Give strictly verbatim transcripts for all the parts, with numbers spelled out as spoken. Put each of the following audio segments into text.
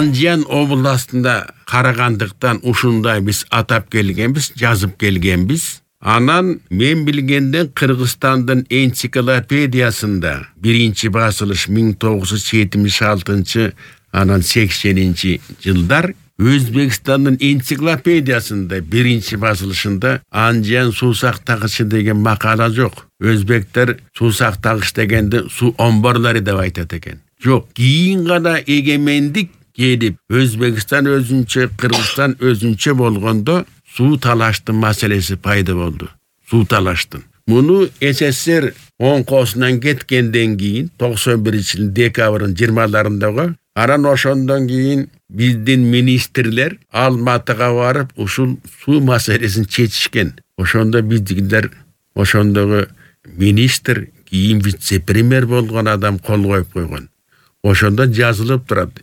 Анжан областында карагандыктан ушундай биз атап келгенбиз, жазып келгенбиз. Анан мен билгенден Кыргызстандын энциклопедиясында биринчи басылыш миң тогуз жүз жетимиш алтынчы, анан сексенинчи жылдар, Өзбекстандын энциклопедиясында биринчи басылышында Анжан суу сактагычы деген макала жок. Өзбектер суу сактагыч дегенди суу омборлору деп айтат экен. Жок, кийин гана эгемендик келип, Өзбекстан өзүнчө, Кыргызстан өзүнчө болгондо суу талаштын маселеси пайда болду. Суу талаштын. Муну СССР оңкосунан кеткенден кийин токсон биринчи жылдын декабрын жыйырмаларындагы, анан ошондон кийин биздин министрлер Алматыга барып, ушул суу маселесин чечишкен. Ошондо биздикилер, ошондогу министр, кийин вице-премьер болгон адам кол коюп койгон. Ошондо жазылып турат.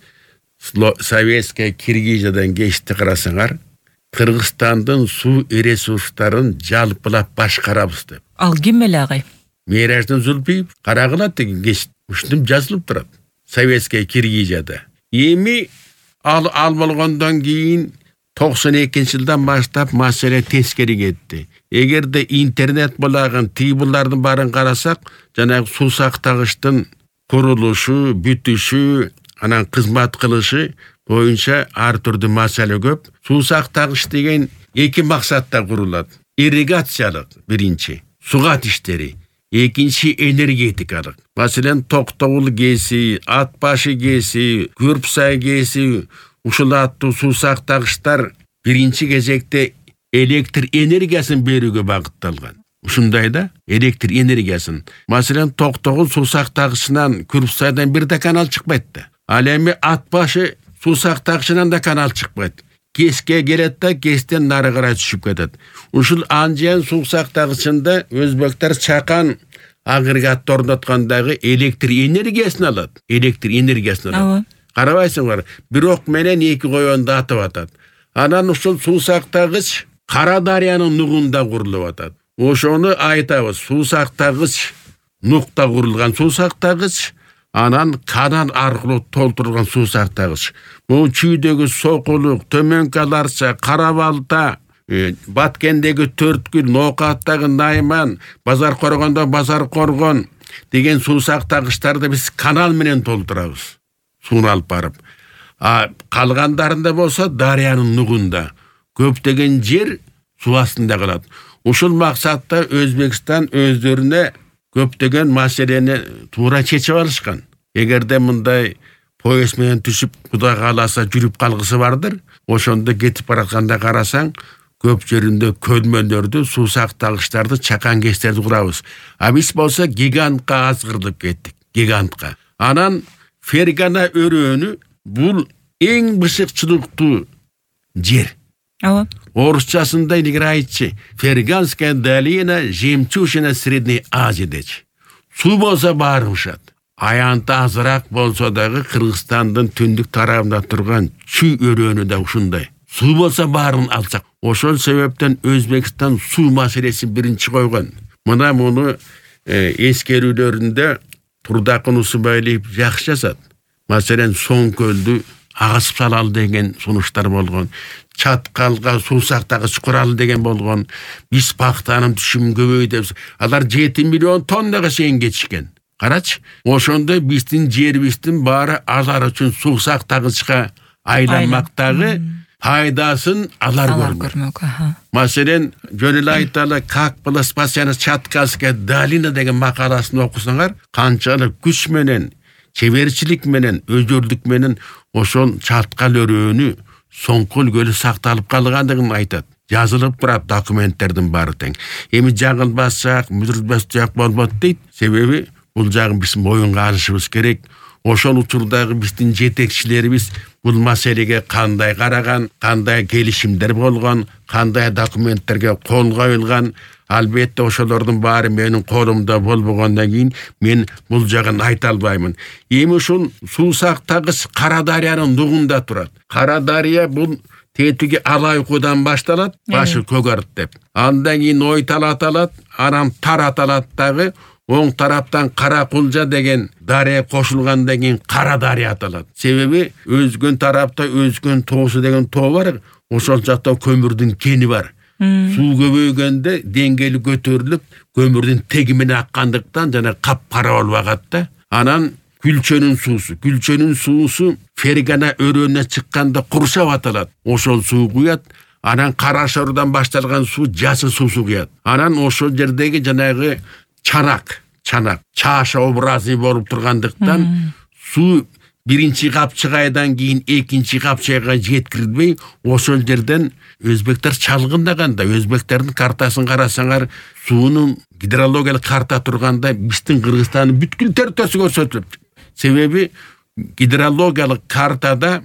Советская Киргизиядан кечти карасаңар, Кыргызстандын суу ресурстарын жалпылап башкарабыз деп. Ал ким эле агай? Мираждын Зулпиев карагыла деген кеч ушунтип жазылып турат. Советская Киргизияда. Эми ал ал болгондон кийин токсон экинчи жылдан баштап маселе тескери кетти. Эгерде интернет булагын, тибулардын барын карасак, жанагы суу сактагычтын курулушу, бүтүшү, анан кызмат кылышы боюнча ар түрдүү маселе көп. Суу сактагыч деген эки максатта курулат. Ирригациялык биринчи, сугат иштери. Экинчи энергетикалык. Маселен, Токтогул КЭСи, Ат башы КЭСи, Күрпсай КЭСи, ушул аттуу суу сактагычтар биринчи кезекте электр энергиясын берүүгө багытталган. Ушундай да, электр энергиясын. Маселен, Токтогул суу сактагычынан Күрпсайдан бир да канал чыкпайт да. Ал эми Ат башы суу сактагычынан да канал чыкпайт. КЭСке келет да, КЭСтен нары карай түшүп кетет. Ушул Анжан суу сактагычында өзбектер чакан агрегатты орноткондагы электр энергиясын алат. Электр энергиясын алат. Карабайсыңар, бир ок менен эки коёнду атып атат. Анан ушул суу сактагыч Кара Дарыянын нугунда курулуп атат. Ошону айтабыз, суу сактагыч нукта курулган суу сактагыч, анан канал аркылуу толтурулган суу сактагыч. Бул чүйдөгү Сокулук, Төмөнкү Аларча, Кара Балта, Баткендеги Төрткүл, Ноокаттагы Найман, Базар Коргондо Базар Коргон деген суу сактагычтарды биз канал менен толтурабыз. Сууну алып барып. А калгандарында болсо Дарыянын нугунда көптөгөн жер суу астында калат. Ушул максатта Өзбекстан өздөрүнө көптөгөн маселени туура чечип алышкан. Эгерде мындай поезд менен түшүп, Кудай кааласа жүрүп калгысы бардыр, ошондо кетип баратканда карасаң, көп жеринде көлмөлөрдү, суу сактагычтарды, чакан КЭСтерди курабыз. А биз болсо гигантка азгырдып кеттик, гигантка. Анан Фергана өрөөнү бул эң бышыкчылыктуу жер. Ооба. Орусчасында илгери айтчы, Ферганская долина, жемчужина Средней Азии дечи. Суу болсо баары ушат. Аянты азыраак болсо дагы Кыргызстандын түндүк тарабында турган Чүй өрөөнү да ушундай. Суу болсо баарын алсак, ошол себептен Өзбекстан суу маселесин биринчи койгон. Мына муну э, эскерүүлөрүндө Турдакын Усубайлиев жакшы жазат. Маселен, Соң көлдү агасып салалы деген сунуштар болгон. Чаткалга суу сактагыч куралы деген болгон. Биз пактанын түшүмүн көбөйтөбүз. Алар жети миллион тоннага чейин кетишкен. Карачы, ошондо биздин жерибиздин баары алар үчүн суу сактагычка айланмактагы пайдасын алар көрмөк. Маселен, жөн эле айталы, как было спасена Чаткальская долина деген макаласын окусаңар, канчалык күч менен, чеберчилик менен, өзүрлүк менен ошол Чаткал өрөөнү Соңкөл көлү сакталып калгандыгын айтат. Жазылып турат документтердин баары тең. Эми жаңылбасак, мүдүрбөстөк болбойт дейт. Себеби бул жагын биз моюнга алышыбыз керек. Ошол учурдагы биздин жетекчилерибиз бул маселеге кандай караган, кандай келишимдер болгон, кандай документтерге кол коюлган. Албетте ошолордун баары менин колумда болбогондон кийин мен бул жагын айта албаймын. Эми ушул суу сактагыч Кара Дарыянын нугунда турат. Кара Дарыя бул тетиги Алайкудан башталат, башы Көгөрт деп. Андан кийин Ойтал аталат, анан Тар аталат дагы. Оң тараптан Кара Кулжа деген дарыя кошулгандан кийин Кара дарыя аталат. Себеби өзгөн тарапта өзгөн тоосу деген тоо бар. Ошол жакта көмүрдүн кени бар. Суу көбөйгөндө деңгээли көтөрүлүп, көмүрдүн теги менен аккандыктан жана капкара болуп агат да. Анан Күлчөнүн суусу, Күлчөнүн суусу Фергана өрөөнүнө чыкканда Куршап аталат. Ошол суу куят. Анан Кара Шордон башталган суу Жасыл суусу куят. Анан ошол жердеги жанагы чанак, чанак, чааша образы болуп тургандыктан суу биринчи капчыгайдан кийин экинчи капчыгайга жеткирилбей, ошол жерден өзбектер чалгындаганда, өзбектердин картасын карасаңар, суунун гидрологиялык карта турганда биздин Кыргызстандын бүткүл территориясы көрсөтүлөт. Себеби гидрологиялык картада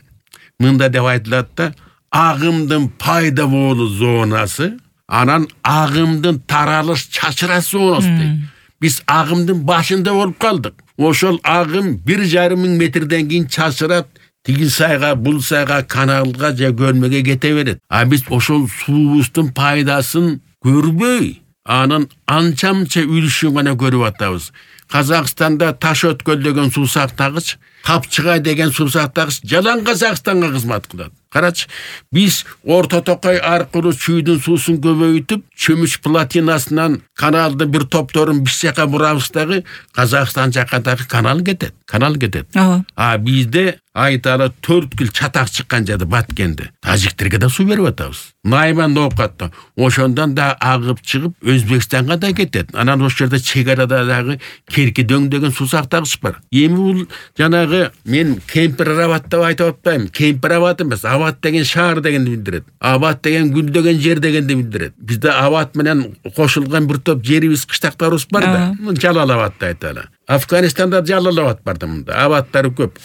мында деп айтылат да, агымдын пайда болуу зонасы, анан агымдын таралыш чачырасы зонасы. Биз агымдын башында болуп калдык. Ошол агым бир жарым миң метрден кийин чачырат, тиги сайга, бул сайга, каналга же көлмөгө кете берет. А биз ошол суубуздун пайдасын көрбөй, анын анча-мынча үлүшүн гана көрүп атабыз. Казакстанда Таш өткөл деген суу сактагыч, Капчыгай деген суу сактагыч жалаң Казакстанга кызмат кылат. Карачы, биз Орто Токой аркылуу чүйдүн суусун көбөйтүп, чөмүч платинасынан каналдын бир топторун биз жака бурабыз дагы, Казакстан жака дагы канал кетет. Канал кетет. А бизде айталы төрт күл чатак чыккан жерде Баткенде. Тажиктерге да суу берип атабыз. Найман Ноокатта. Ошондон да агып чыгып Өзбекстанга да кетет. Анан ошол жерде чек арада дагы Керкидөң деген суу сактагыч бар. Эми бул жанагы мен Кемпир-Абад деп айтып атпайм. Кемпир-Абад эмес, Абад деген шаар дегенди билдирет. Абад деген гүл деген жер дегенди билдирет. Бизде Абад менен кошулган бир топ жерибиз, кыштактарыбыз бар да. Жалал-Абад деп айталы. Афганистанда Жалал-Абад бар да мында. Абадтары көп.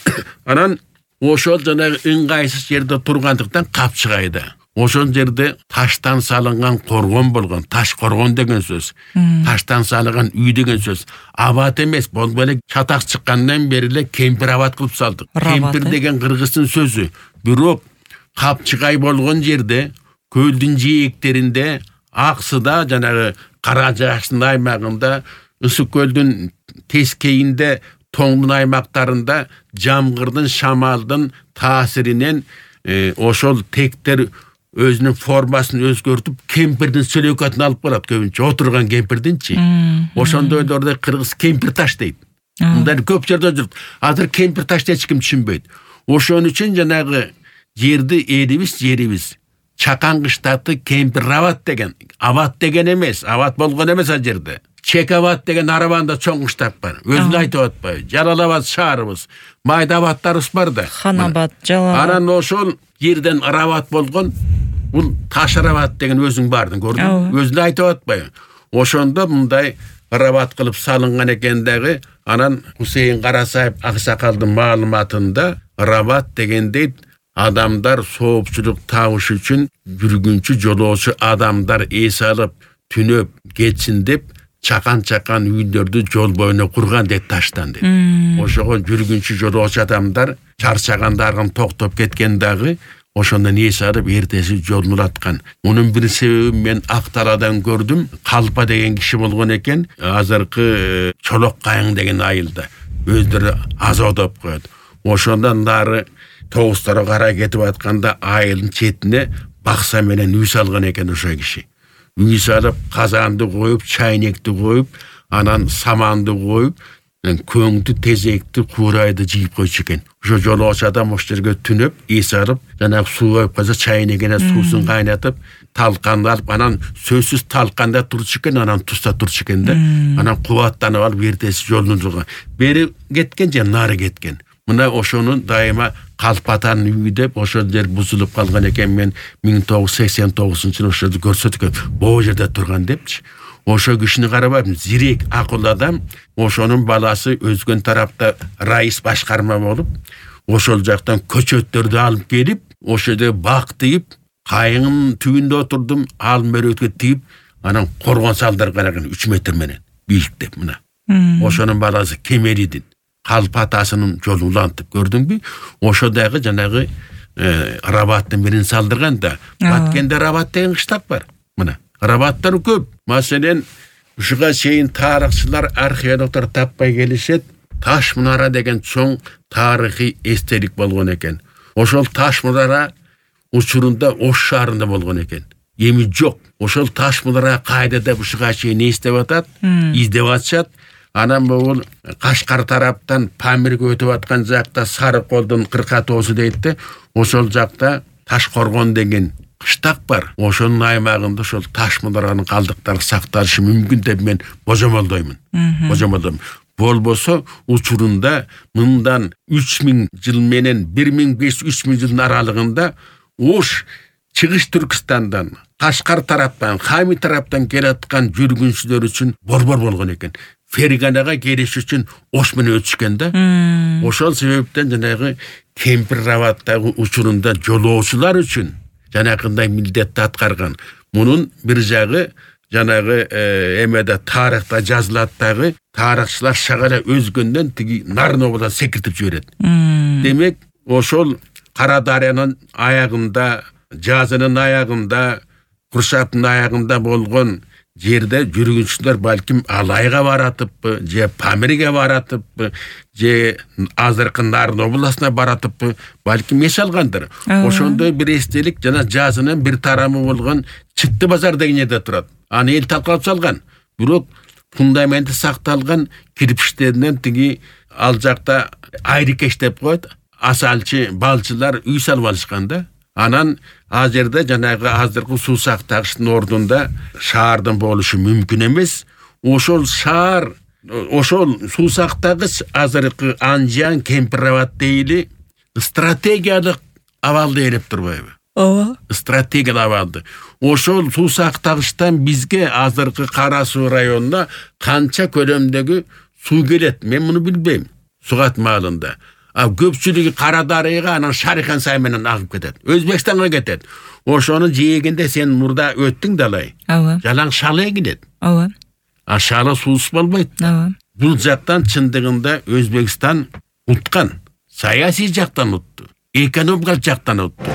Анан ошол жанагы ыңгайсыз жерде тургандыктан Капчыгайда. Ошол жерде таштан салынган коргон болгон, таш коргон деген сөз. Таштан салынган үй деген сөз. Абад эмес, болбой эле чатак чыккандан бери эле Кемпир-Абад кылып салдык. Кемпир деген кыргыздын сөзү. Бирок Капчыгай болгон жерде, көлдүн жээктеринде, Аксыда, жанагы Кара Жаштын аймагында, Ысык көлдүн тескейинде, Тоңдун аймактарында жамгырдын, шамалдын таасиринен э, ошол тектер өзүнүн формасын өзгөртүп, кемпирдин сөлөкөтүн алып барат, көбүнчө отурган кемпирдинчи. Ошондойлорду кыргыз кемпир таш дейт. Мындай көп жерде жүрүп, азыр кемпир ташты эч ким түшүнбөйт. Ошон үчүн жанагы жерди элибиз, жерибиз Чакан кыштаты Кемпир-Абад деген, Абад деген эмес, Абад болгон эмес ал жерде. Чек-Абад деген Арабанда чоң кыштак бар. Өзүн айтып атпайбы? Жалал-Абад шаарыбыз, майда абадтарыбыз бар да. Хан-Абад, Жалал-Абад. Анан ошол жерден Арабад болгон, бул Таш-Арабад деген өзүң бардың, көрдүң? Өзүн айтып атпайбы? Ошондо мындай Арабад кылып салынган экен дагы. Анан Хусейин Карасаев аксакалдын маалыматында Арабад деген дейт, адамдар соопчулук табыш үчүн жүргүнчү жолоочу адамдар эс алып, түнөп кетсин деп чакан-чакан үйлөрдү жол боюна курган дейт таштан дейт. Ошого жүргүнчү жолоочу адамдар чарчагандарым токтоп кеткен дагы ошондон эс алып эртеси жолун улаткан. Мунун бир себеби мен Акталадан көрдүм. Калпа деген киши болгон экен. Азыркы Чолок Кайың деген айылда өздөрү азодоп коет. Ошондон дары Тоғустары карай кетип атканда айылдын четине бакса менен үй салган экен ошо киши. Үй салып, казанды коюп, чайнекти коюп, анан саманды коюп, көңдү, тезекти, куурайды жыйып койчу экен. Ошо жолоочу адам ошол жерге түнөп, эс алып, жанагы суу коюп калса чайнегине суусун кайнатып, талканды алып, анан сөзсүз талканда турчу экен, анан туста турчу экен да. Анан кубаттанып алып эртеси жолун турган. Бери кеткен же нары кеткен. Мына ошонун дайыма Калпатан үйү деп ошол жер бузулуп калган экен. Мен миң тогуз жүз сексен тогузунчу жылы ошол көрсөткөн, боо жерде турган депчи. Ошо кишини карабайм, зирек акылдуу адам. Ошонун баласы өзгөн тарапта раис башкарма болуп, ошол жактан көчөттөрдү алып келип, ошол жерде бак тыйып, кайыңын түбүндө отурдум, ал мөрөткө тыйып, анан коргон салдырган экен үч метр менен бийиктеп мына. Ошонун баласы Кемелидин Калпатасынын жолун улантып, көрдүңбү? Ошо дагы жанагы Арабаттын бирин салдырган да. Баткенде Арабат деген кыштак бар. Мына Арабаттар көп. Маселен, ушуга чейин тарыхчылар, археологдор таппай келишет. Таш мунара деген чоң тарыхый эстелик болгон экен. Ошол таш мунара учурунда Ош шаарында болгон экен. Эми жок. Ошол таш мунара кайдада ушуга чейин не издеп атат? Издеп атышат. Анан бул Кашкар тараптан Памирге өтүп аткан жакта Сарыколдун кырка тоосу дейт. Ошол жакта Ташкоргон деген кыштак бар. Ошонун аймагында ошол таш мунаранын калдыктары сакталышы мүмкүн деп мен божомолдоймун. Божомолдоймун. Болбосо учурунда мындан үч миң жыл менен бир миң беш жүз үч миң жылдын аралыгында Ош Чыгыш Түркистандан, Кашкар тараптан, Хами тараптан келаткан жүргүнчүлөр үчүн борбор болгон экен. Ферганага келиш үчүн Ош менен өтүшкөн да. Ошол себептен жанагы Кемпир Рабаттагы учурунда жолоочулар үчүн жанакындай милдетти аткарган. Мунун бир жагы жанагы эмеде тарыхта жазылат дагы, тарыхчылар шагала өзгөндөн тиги Нарнобудан секиртип жиберет. Демек, ошол Кара Дарыянын аягында, жазынын аягында, Куршаттын аягында болгон жерде жүргүнчүлөр балким Алайга баратыппы, же Памирге баратыппы, же азыркы Нарын областына баратыппы, балким эс алгандыр. Ошондой бир эстелик жана жазынын бир тарамы болгон Чытты базар деген жерде турат. Аны эл талкалап салган. Бирок фундаменти сакталган кирпичтеринен тиги ал жакта айрыкеш деп коет. Асалчы, балчылар үй салып алышкан да. Анан ал жерде жанагы азыркы суу сактагычтын ордунда шаардын болушу мүмкүн эмес. Ошол шаар, ошол суу сактагыч азыркы Анжан, Кемпир Рабат дейли стратегиялык абалды ээлеп турбайбы? Ооба. Стратегиялык абалды. Ошол суу сактагычтан бизге азыркы Кара Суу районуна канча көлөмдөгү суу келет? Мен муну билбейм. Сугат маалында. А көпчүлүгү Кара Дарыяга анан Шарихан Сай менен агып кетет. Өзбекстанга кетет. Ошону жегенде сен мурда өттүң далай. Ооба. Жалаң шалы келет. Ооба. А шалы суусуз болбойт. Ооба. Бул жактан чындыгында Өзбекстан уткан. Саясий жактан утту. Экономикалык жактан утту.